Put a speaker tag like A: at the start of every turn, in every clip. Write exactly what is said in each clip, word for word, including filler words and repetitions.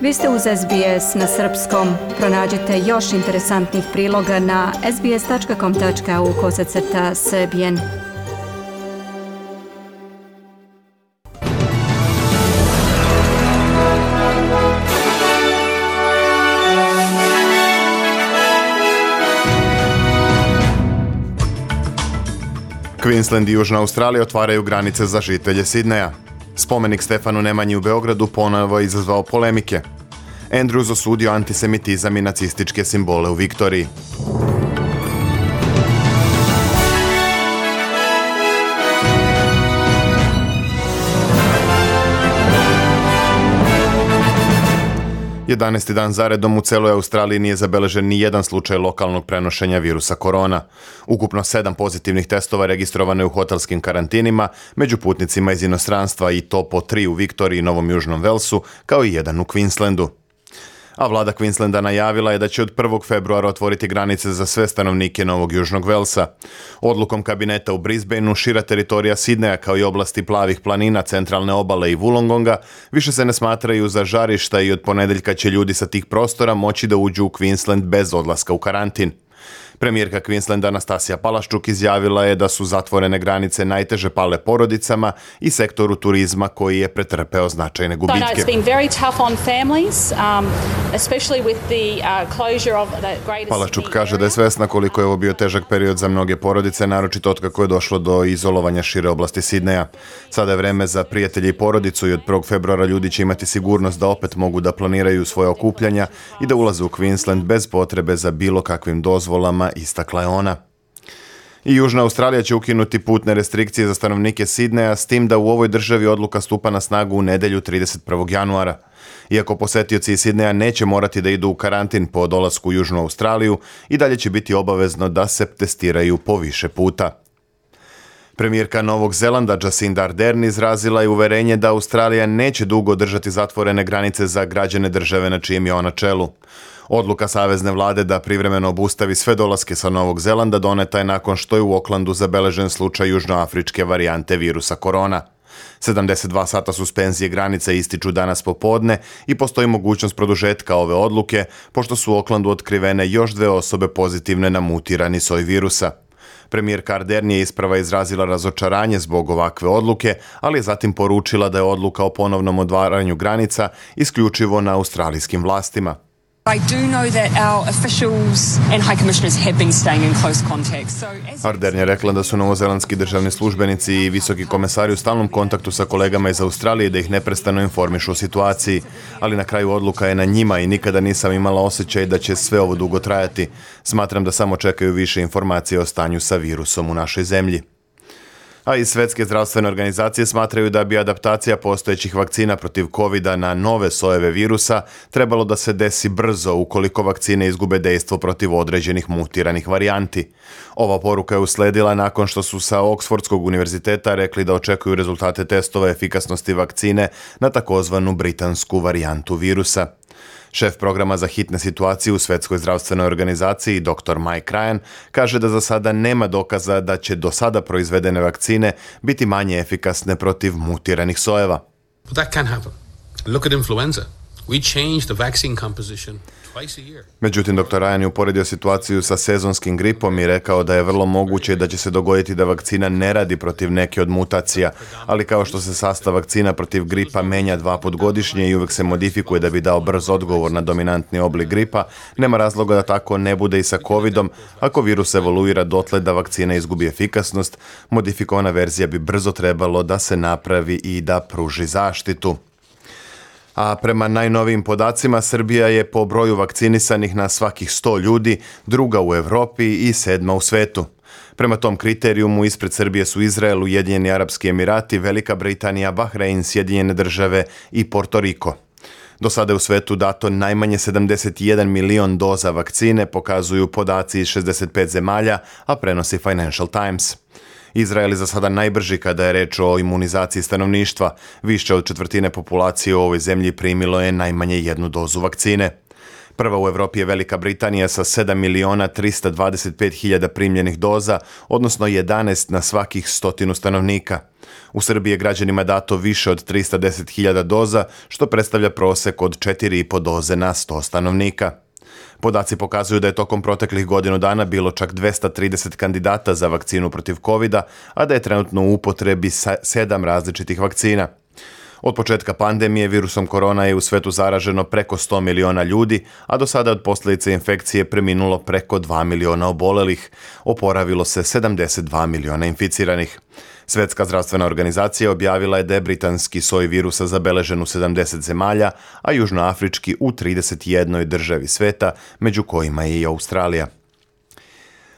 A: Vi ste uz S B S na srpskom. Pronađite još interesantnih priloga na sbs.com.au kosacrta srbijen.
B: Queensland i Južna Australija otvaraju granice za žitelje Sidneja. Spomenik Stefanu Nemanji u Beogradu ponovo je izazvao polemike. Andrews osudio antisemitizam i nacističke simbole u Viktoriji. jedanaesti dan zaredom u celoj Australiji nije zabeležen ni jedan slučaj lokalnog prenošenja virusa korona. Ukupno sedam pozitivnih testova registrovano je u hotelskim karantinima, među putnicima iz inostranstva, i to po tri u Viktoriji i Novom Južnom Velsu, kao i jedan u Queenslandu. A vlada Queenslanda najavila je da će od prvog februara otvoriti granice za sve stanovnike Novog Južnog Velsa. Odlukom kabineta u Brisbaneu šira teritorija Sidneja kao i oblasti plavih planina, centralne obale i Wollongonga više se ne smatraju za žarišta i od ponedeljka će ljudi sa tih prostora moći da uđu u Queensland bez odlaska u karantin. Premijerka Queenslanda Anastasija Palaščuk izjavila je da su zatvorene granice najteže pale porodicama i sektoru turizma koji je pretrpeo značajne gubitke. Palaščuk kaže da je svesna koliko je ovo bio težak period za mnoge porodice, naročito otkako je došlo do izolovanja šire oblasti Sidneja. Sada je vreme za prijatelje i porodicu i od prvog februara ljudi će imati sigurnost da opet mogu da planiraju svoje okupljanja i da ulaze u Queensland bez potrebe za bilo kakvim dozvolama, istakla je ona. I Južna Australija će ukinuti putne restrikcije za stanovnike Sidneja, s tim da u ovoj državi odluka stupa na snagu u nedelju trideset prvog januara. Iako posetioci iz Sidneja neće morati da idu u karantin po dolasku u Južnu Australiju, i dalje će biti obavezno da se testiraju po više puta. Premijerka Novog Zelanda Jacinda Ardern izrazila je uverenje da Australija neće dugo držati zatvorene granice za građane države na čijem je ona čelu. Odluka savezne vlade da privremeno obustavi sve dolaske sa Novog Zelanda doneta je nakon što je u Aucklandu zabeležen slučaj južnoafričke varijante virusa korona. sedamdeset dva sata suspenzije granice ističu danas popodne i postoji mogućnost produžetka ove odluke, pošto su u Aucklandu otkrivene još dve osobe pozitivne na mutirani soj virusa. Premijerka Ardern je isprava izrazila razočaranje zbog ovakve odluke, ali je zatim poručila da je odluka o ponovnom otvaranju granica isključivo na australijskim vlastima. Ardern je rekla da su novozelandski državni službenici i visoki komesari u stalnom kontaktu sa kolegama iz Australije da ih neprestano informišu o situaciji, ali na kraju odluka je na njima i nikada nisam imala osjećaj da će sve ovo dugo trajati. Smatram da samo čekaju više informacije o stanju sa virusom u našoj zemlji. A iz Svetske zdravstvene organizacije smatraju da bi adaptacija postojećih vakcina protiv kovida na nove sojeve virusa trebalo da se desi brzo ukoliko vakcine izgube dejstvo protiv određenih mutiranih varijanti. Ova poruka je usledila nakon što su sa Oxfordskog univerziteta rekli da očekuju rezultate testova efikasnosti vakcine na takozvanu britansku varijantu virusa. Šef programa za hitne situacije u Svetskoj zdravstvenoj organizaciji, doktor Mike Ryan, kaže da za sada nema dokaza da će do sada proizvedene vakcine biti manje efikasne protiv mutiranih sojeva.
C: That can happen. Look at influenza. We change the vaccine composition.
B: Međutim, doktor Ryan je uporedio situaciju sa sezonskim gripom i rekao da je vrlo moguće da će se dogoditi da vakcina ne radi protiv neke od mutacija, ali kao što se sastav vakcina protiv gripa menja dva put godišnje i uvek se modifikuje da bi dao brz odgovor na dominantni oblik gripa, nema razloga da tako ne bude i sa covidom. Ako virus evoluira dotle da vakcina izgubi efikasnost, modifikovana verzija bi brzo trebalo da se napravi i da pruži zaštitu. A prema najnovijim podacima, Srbija je po broju vakcinisanih na svakih sto ljudi druga u Evropi i sedma u svetu. Prema tom kriterijumu ispred Srbije su Izrael, Ujedinjeni Arapski Emirati, Velika Britanija, Bahrein, Sjedinjene Države i Porto Riko. Do sada je u svetu dato najmanje sedamdeset jedan milion doza vakcine, pokazuju podaci iz šezdeset pet zemalja, a prenosi Financial Times. Izrael je za sada najbrži kada je reč o imunizaciji stanovništva. Više od četvrtine populacije u ovoj zemlji primilo je najmanje jednu dozu vakcine. Prva u Evropi je Velika Britanija sa sedam miliona trista dvadeset pet hiljada primljenih doza, odnosno jedanaest na svakih stotinu stanovnika. U Srbiji je građanima dato više od trista deset hiljada doza, što predstavlja prosek od četiri i po doze na sto stanovnika. Podaci pokazuju da je tokom proteklih godinu dana bilo čak dvesta trideset kandidata za vakcinu protiv kovida, a da je trenutno u upotrebi sedam različitih vakcina. Od početka pandemije virusom korona je u svetu zaraženo preko sto miliona ljudi, a do sada od posljedice infekcije preminulo preko dva miliona obolelih. Oporavilo se sedamdeset dva miliona inficiranih. Svetska zdravstvena organizacija objavila je da je britanski soj virusa zabeležen u sedamdeset zemalja, a južnoafrički u trideset jednoj državi sveta, među kojima je i Australija.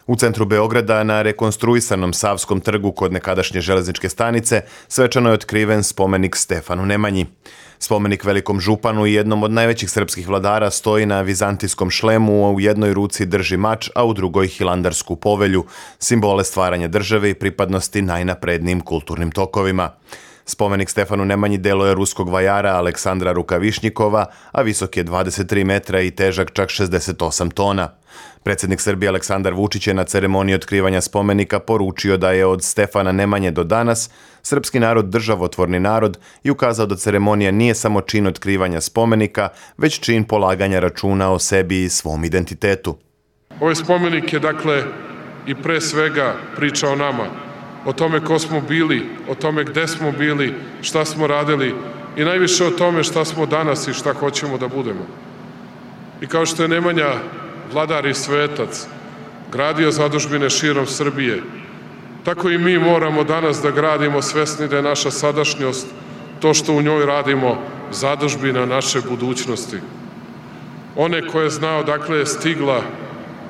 B: U centru Beograda, na rekonstruisanom Savskom trgu kod nekadašnje železničke stanice, svečano je otkriven spomenik Stefanu Nemanji. Spomenik velikom županu i jednom od najvećih srpskih vladara stoji na vizantijskom šlemu, a u jednoj ruci drži mač, a u drugoj Hilandarsku povelju, simbole stvaranja države i pripadnosti najnaprednijim kulturnim tokovima. Spomenik Stefanu Nemanji delo je ruskog vajara Aleksandra Rukavišnjikova, a visok je dvadeset tri metra i težak čak šezdeset osam tona. Predsjednik Srbije Aleksandar Vučić je na ceremoniji otkrivanja spomenika poručio da je od Stefana Nemanje do danas srpski narod državotvorni narod i ukazao da ceremonija nije samo čin otkrivanja spomenika, već čin polaganja računa o sebi i svom identitetu.
D: Ovaj spomenik je dakle i pre svega priča o nama, o tome ko smo bili, o tome gde smo bili, šta smo radili i najviše o tome šta smo danas i šta hoćemo da budemo. I kao što je Nemanja, vladar i svetac, gradio zadužbine širom Srbije, tako i mi moramo danas da gradimo svesni da je naša sadašnjost, to što u njoj radimo, zadužbina naše budućnosti. One koje zna odakle je stigla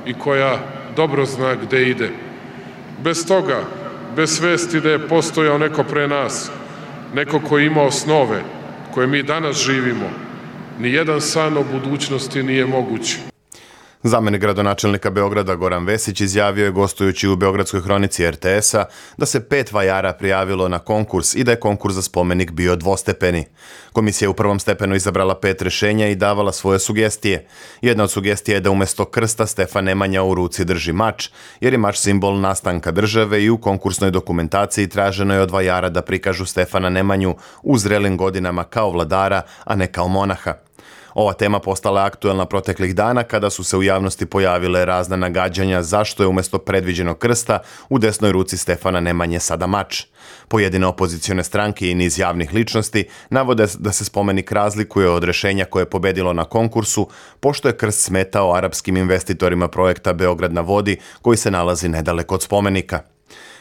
D: i koja dobro zna gde ide. Bez toga, bez svesti da je postojao neko pre nas, neko ko je imao snove koje mi danas živimo, ni jedan san o budućnosti nije moguć.
B: Zamenik gradonačelnika Beograda Goran Vesić izjavio je gostujući u Beogradskoj hronici er te esa da se pet vajara prijavilo na konkurs i da je konkurs za spomenik bio dvostepeni. Komisija je u prvom stepenu izabrala pet rešenja i davala svoje sugestije. Jedna od sugestija je da umjesto krsta Stefan Nemanja u ruci drži mač, jer je mač simbol nastanka države i u konkursnoj dokumentaciji traženo je od vajara da prikažu Stefana Nemanju u zrelim godinama kao vladara, a ne kao monaha. Ova tema postala je aktuelna proteklih dana kada su se u javnosti pojavile razna nagađanja zašto je umjesto predviđenog krsta u desnoj ruci Stefana Nemanje sada mač. Pojedine opozicione stranke i niz javnih ličnosti navode da se spomenik razlikuje od rešenja koje je pobedilo na konkursu, pošto je krst smetao arapskim investitorima projekta Beograd na vodi koji se nalazi nedaleko od spomenika.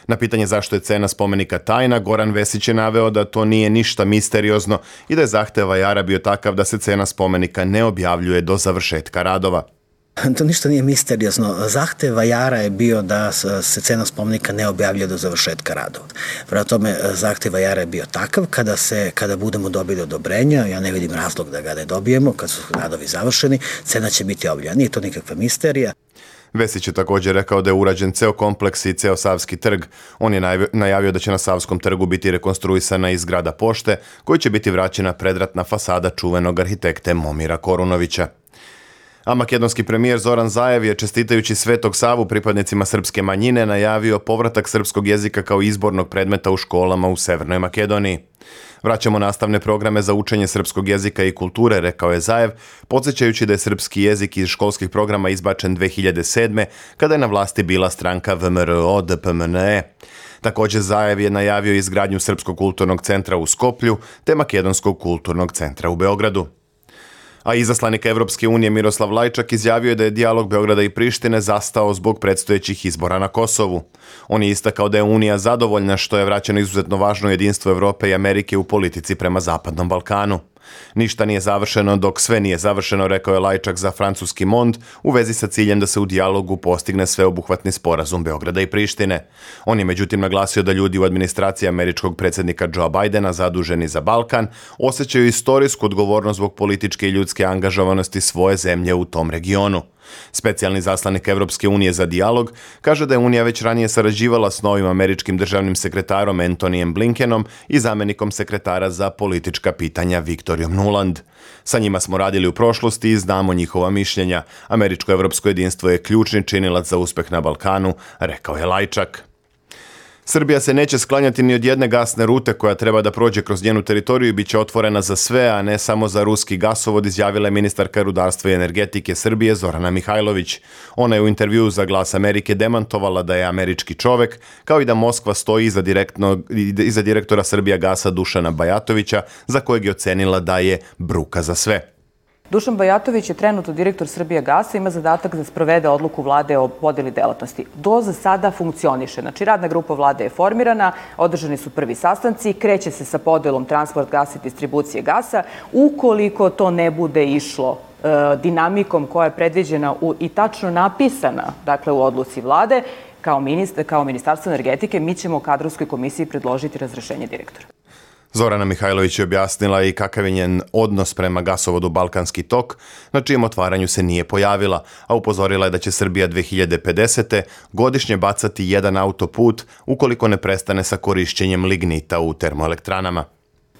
B: Na pitanje zašto je cena spomenika tajna, Goran Vesić je naveo da to nije ništa misteriozno i da je zahtev vajara bio takav da se cena spomenika ne objavljuje do završetka radova.
E: To ništa nije misteriozno. Zahtev vajara je bio da se cena spomenika ne objavljuje do završetka radova. Prema tome, zahtev vajara je bio takav, kada, se, kada budemo dobili odobrenja, ja ne vidim razlog da ga ne dobijemo, kad su radovi završeni, cena će biti objavljena. Nije to nikakva misterija.
B: Vesić je također rekao da je urađen ceo kompleks i ceo Savski trg. On je najavio da će na Savskom trgu biti rekonstruisana i zgrada pošte, koji će biti vraćena predratna fasada čuvenog arhitekte Momira Korunovića. A makedonski premijer Zoran Zaev je, čestitajući Svetog Savu pripadnicima srpske manjine, najavio povratak srpskog jezika kao izbornog predmeta u školama u Severnoj Makedoniji. Vraćamo nastavne programe za učenje srpskog jezika i kulture, rekao je Zaev, podsjećajući da je srpski jezik iz školskih programa izbačen dve hiljade sedme. kada je na vlasti bila stranka V M R O D P M N E. Također Zaev je najavio izgradnju Srpskog kulturnog centra u Skoplju te Makedonskog kulturnog centra u Beogradu. A izaslanik Evropske unije Miroslav Lajčak izjavio je da je dijalog Beograda i Prištine zastao zbog predstojećih izbora na Kosovu. On je istakao da je Unija zadovoljna što je vraćeno izuzetno važno jedinstvo Evrope i Amerike u politici prema Zapadnom Balkanu. Ništa nije završeno dok sve nije završeno, rekao je Lajčak za francuski Mond u vezi sa ciljem da se u dijalogu postigne sveobuhvatni sporazum Beograda i Prištine. On je međutim naglasio da ljudi u administraciji američkog predsjednika Joea Bidena zaduženi za Balkan osjećaju istorijsku odgovornost zbog političke i ljudske angažovanosti svoje zemlje u tom regionu. Specijalni zaslanik Evropske unije za dijalog kaže da je Unija već ranije sarađivala s novim američkim državnim sekretarom Antonyjem Blinkenom i zamenikom sekretara za politička pitanja Viktorijom Nuland. Sa njima smo radili u prošlosti i znamo njihova mišljenja. Američko-evropsko jedinstvo je ključni činilac za uspeh na Balkanu, rekao je Lajčak. Srbija se neće sklanjati ni od jedne gasne rute koja treba da prođe kroz njenu teritoriju i bit će otvorena za sve, a ne samo za ruski gasovod, izjavila je ministarka rudarstva i energetike Srbije Zorana Mihajlović. Ona je u intervjuu za Glas Amerike demantovala da je američki čovek, kao i da Moskva stoji iza, iza direktora Srbijagasa Dušana Bajatovića, za kojeg je ocenila da je bruka za sve.
F: Dušan Bajatović je trenutno direktor Srbijagasa, ima zadatak da sprovede odluku vlade o podeli delatnosti. Do za sada funkcioniše. Znači, radna grupa vlade je formirana, održani su prvi sastanci, kreće se sa podelom transport gasa i distribucije gasa. Ukoliko to ne bude išlo e, dinamikom koja je predviđena u, i tačno napisana, dakle, u odluci vlade, kao, ministar, kao Ministarstvo energetike, mi ćemo kadrovskoj komisiji predložiti razrešenje direktora.
B: Zorana Mihajlović je objasnila i kakav je njen odnos prema gasovodu Balkanski tok, na čijem otvaranju se nije pojavila, a upozorila je da će Srbija dve hiljade pedesete. godišnje bacati jedan autoput ukoliko ne prestane sa korišćenjem lignita u termoelektranama.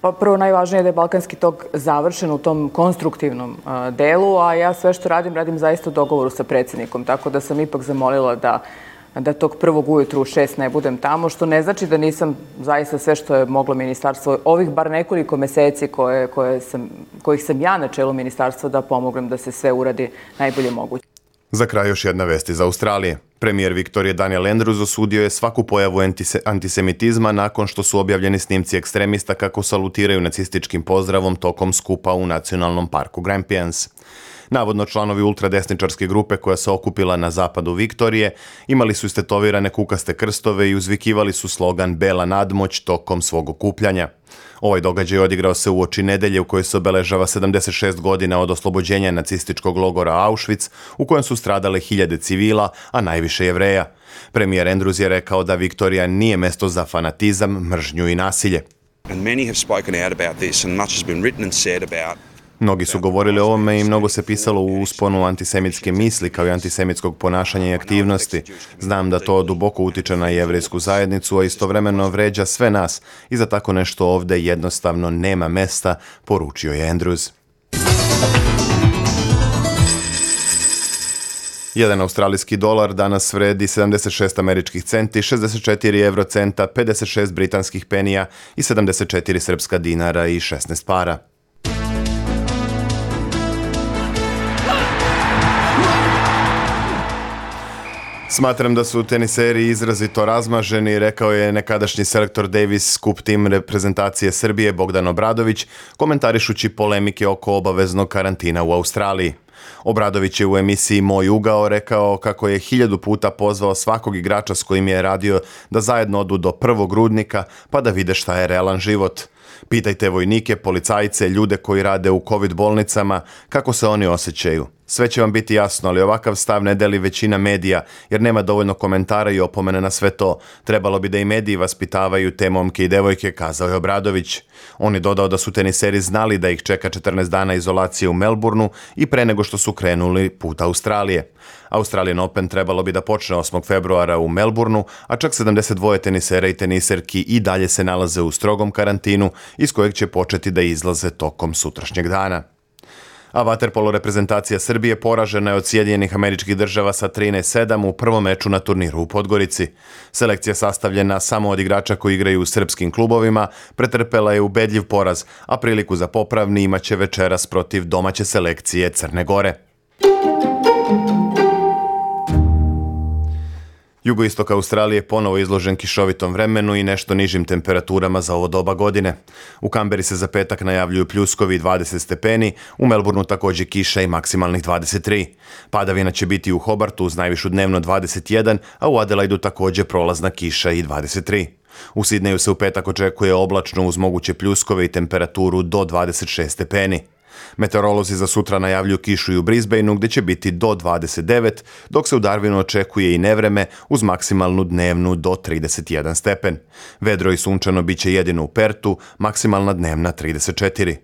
F: Pa prvo najvažnije je da je Balkanski tok završen u tom konstruktivnom uh, delu, a ja sve što radim, radim zaista u dogovoru sa predsjednikom, tako da sam ipak zamolila da da tog prvog ujutru u šest ne budem tamo, što ne znači da nisam zaista sve što je moglo ministarstvo, ovih bar nekoliko meseci koje, koje sam, kojih sam ja na čelu ministarstva, da pomognem da se sve uradi najbolje moguće.
B: Za kraj još jedna vest iz Australije. Premijer Viktorije Daniel Andrews osudio je svaku pojavu antise, antisemitizma nakon što su objavljeni snimci ekstremista kako salutiraju nacističkim pozdravom tokom skupa u nacionalnom parku Grampians. Navodno članovi ultradesničarske grupe koja se okupila na zapadu Viktorije imali su istetovirane kukaste krstove i uzvikivali su slogan Bela nadmoć tokom svog okupljanja. Ovaj događaj odigrao se uoči nedelje u kojoj se obeležava sedamdeset šest godina od oslobođenja nacističkog logora Auschwitz, u kojem su stradale hiljade civila, a najviše Jevreja. Premijer Andrews je rekao da Viktorija nije mesto za fanatizam, mržnju i nasilje.
G: And many have spoken out about this and much has been written and said about
B: Mnogi su govorili o ovome i mnogo se pisalo u usponu antisemitske misli kao i antisemitskog ponašanja i aktivnosti. Znam da to duboko utiče na jevrejsku zajednicu, a istovremeno vređa sve nas i za tako nešto ovde jednostavno nema mesta, poručio je Andrews. Jedan australijski dolar danas vredi sedamdeset šest američkih centi, šezdeset četiri evrocenta, pedeset šest britanskih penija i sedamdeset četiri srpska dinara i šesnaest para. Smatram da su teniseri izrazito razmaženi, rekao je nekadašnji selektor Davis Cup Team reprezentacije Srbije Bogdan Obradović, komentarišući polemike oko obaveznog karantina u Australiji. Obradović je u emisiji Moj ugao rekao kako je hiljadu puta pozvao svakog igrača s kojim je radio da zajedno odu do prvog rudnika pa da vide šta je realan život. Pitajte vojnike, policajce, ljude koji rade u COVID bolnicama, kako se oni osjećaju. Sve će vam biti jasno, ali ovakav stav ne deli većina medija, jer nema dovoljno komentara i opomene na sve to. Trebalo bi da i mediji vaspitavaju te momke i devojke, kazao je Obradović. On je dodao da su teniseri znali da ih čeka četrnaest dana izolacije u Melbourneu i pre nego što su krenuli put Australije. Australian Open trebalo bi da počne osmog februara u Melbourneu, a čak sedamdeset dva tenisera i teniserki i dalje se nalaze u strogom karantinu, iz kojeg će početi da izlaze tokom sutrašnjeg dana. A vaterpolo reprezentacija Srbije poražena je od Sjedinjenih Američkih Država sa trinaest sedam u prvom meču na turniru u Podgorici. Selekcija sastavljena samo od igrača koji igraju u srpskim klubovima pretrpela je ubedljiv poraz, a priliku za popravni imaće večeras protiv domaće selekcije Crne Gore. Jugoistok Australije ponovo izložen kišovitom vremenu i nešto nižim temperaturama za ovo doba godine. U Kamberi se za petak najavljuju pljuskovi dvadeset stepeni, u Melbourneu također kiša i maksimalnih dvadeset tri. Padavina će biti u Hobartu uz najvišu dnevno dvadeset jedan, a u Adelaidu također prolazna kiša i dvadeset tri. U Sidneju se u petak očekuje oblačno uz moguće pljuskove i temperaturu do dvadeset šest stepeni. Meteorolozi za sutra najavljuju kišu i u Brisbaneu gdje će biti do dvadeset devet, dok se u Darwinu očekuje i nevreme uz maksimalnu dnevnu do trideset jedan stepen. Vedro i sunčano bit će jedino u Pertu, maksimalna dnevna trideset četiri.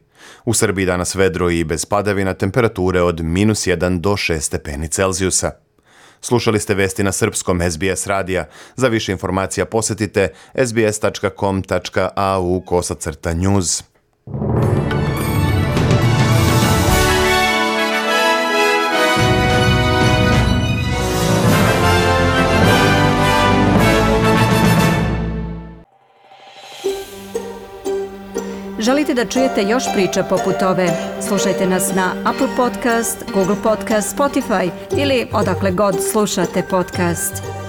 B: U Srbiji danas vedro i bez padavina, temperature od minus jedan do šest stepeni Celzijusa. Slušali ste vesti na srpskom S B S radija. Za više informacija posetite s b s tačka com tačka a u kosacrta news.
A: Želite da čujete još priča poput ove? Slušajte nas na Apple Podcast, Google Podcast, Spotify ili odakle god slušate podcast.